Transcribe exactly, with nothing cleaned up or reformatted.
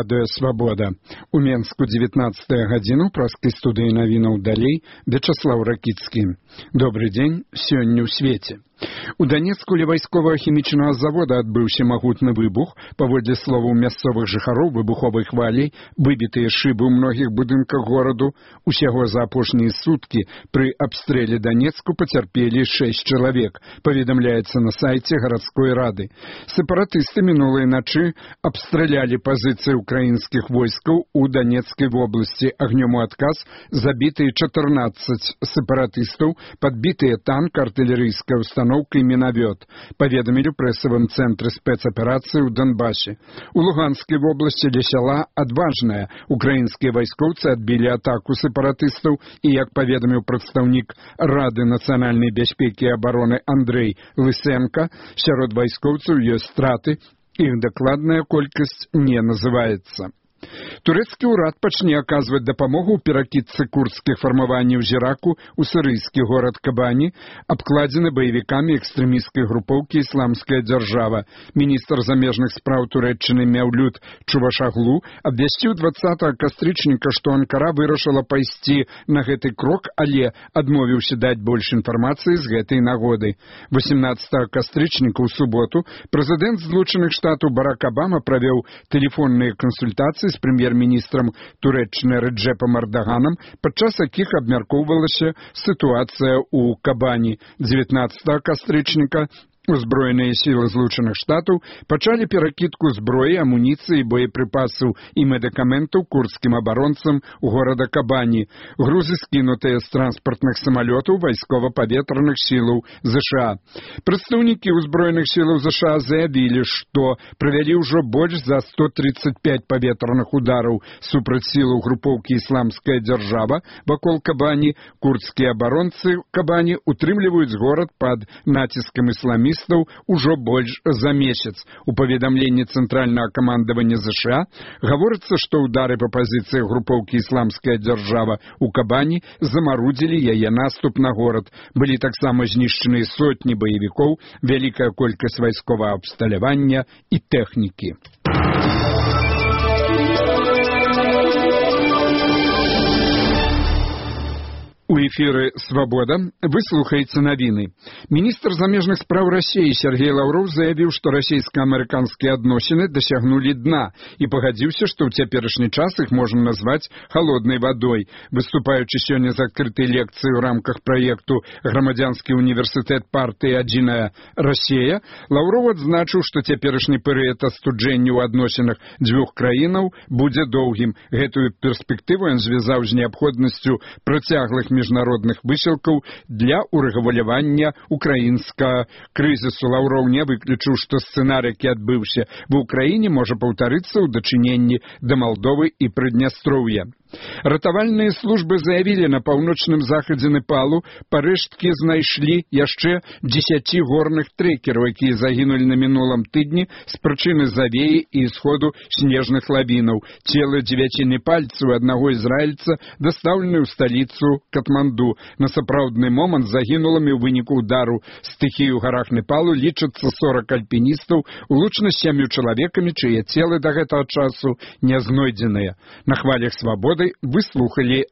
Радыё Свабода. У Менску дзевятнаццатая гадзіна, ў праскай студыі навінаў далей, Вячаслаў Ракіцкі. Добры дзень, сёння ў свеце. У Донецку ля вайсковага-хімічнага завода адбыўся магутны выбух. Паводле словаў мясцовых жыхароў, выбуховай хваляй выбітыя шыбы ў многіх будынках гораду. Усяго за апошнія суткі пры абстрэле Донецку пацярпелі шэсць чалавек, паведамляецца на сайце гарадской рады. Сепаратысты мінулай начы абстралялі пазіцыі украінскіх войскаў у Донецкай вобласці. Агнём у адказ забітыя чатырнаццаць сепаратыстаў, падбітыя танк, артылерыйская установка и миновет, поведомили в прессовом центре спецоперации в Донбассе. У Луганской области для села Адважная украинские войсковцы отбили атаку сепаратистов, и, как поведомил представник Рады национальной безопеки и обороны Андрей Лысенко, сярод войсковцев есть страты, их докладная колькость не называется. Турэцкі ўрад пачне аказваць дапамогу ў перакідцы курдскіх фармаванняў з Іраку ў сірыйскі горад Кабані, абкладзены баевікамі экстрэмісцкай групоўкі «Ісламская дзяржава». Міністр замежных спраў Турэччыны Мяўлют Чувашаглу абвясціў дваццатага кастрычніка, што Анкара вырашыла пайсці на гэты крок, але адмовіўся даць больш інфармацыі з гэтай нагоды. восемнадцатага кастрычніка ў суботу прэзідэнт Злучаных Штатаў Барак Абама правёў тэлефонныя кансультацыі з прэм'ер-міністрам Турэччыны Рэджэпам Эрдаганам, падчас якіх абмяркоўвалася сітуацыя ў Кабані. дзевятнаццатага кастрычніка узброеныя сілы Злучаных Штатаў пачалі перакідку зброі, амуніцыі, боепрыпасаў і медыкаментаў курдскім абаронцам у горада Кабані. Грузы скінутыя з транспартных самалётаў вайскова-паветраных сілаў ЗША. Прадстаўнікі ўзброеных сілаў ЗША заявілі, што правялі ўжо больш за сто тридцать пять паветраных удараў супраць сілаў групоўкі «Ісламская дзяржава» вакол Кабані. Курдскія абаронцы Кабані утрымліваюць горад пад націскам ісламістаў ужо больш за месяц. У паведамленні цэнтральнага камандавання ЗША гаворыцца, што ўдары па пазіцыях групоўкі «Ісламская дзяржава» у Кабані замарудзілі яе наступ на горад. Былі таксама знішчаныя сотні баевікоў, вялікая колькасць вайсковага абсталявання і тэхнікі. У эфіры «Свабода» вы слухаеце навіны. Міністр замежных спраў Расіі Сергей Лаўроў заявіў, што расійска-амерыканскія адносіны дасягнулі дна і пагадзіўся, што ў цяперашні час іх можна назваць халоднай вадой. Выступаючы сёння з адкрытай лекцыі ў рамках праекту «Грамадзянскі універсітэт партыі «Адзіная Расія», Лаўроў адзначыў, што цяперашні перыяд астуджэння ў адносінах дзвюх краінаў будзе доўгім. Гэтую перспектыву ён звязаў з неабходнасцю працяглых міжнародных высілкаў для урэгулявання украінскага крызісу. Лаўроў не выключыў, што сцэнарый, які адбыўся ва ўкраіне, можа паўтарыцца ў дачыненні да Малдовы і Прыднястроўя. Ратавальныя службы заявілі, на паўночным захадзе Непалу парэшткі знайшлі яшчэ дзесяці горных трэкераў, якія загінулі на мінулым тыдні з прычыны завеі і сходу снежных лавінаў. Целы дзевяці непальцаў аднаго ізраільца дастаўлены ў сталіцу Катманду. На сапраўдны момант загінулымі ў выніку ўдару стыхіі ў гарах Непалу лічацца сорак альпіністаў, улучна з сямю чалавекамі, чые целы да гэтага часу не знойдзеныя. На хвалях «Свабоды» вы слухали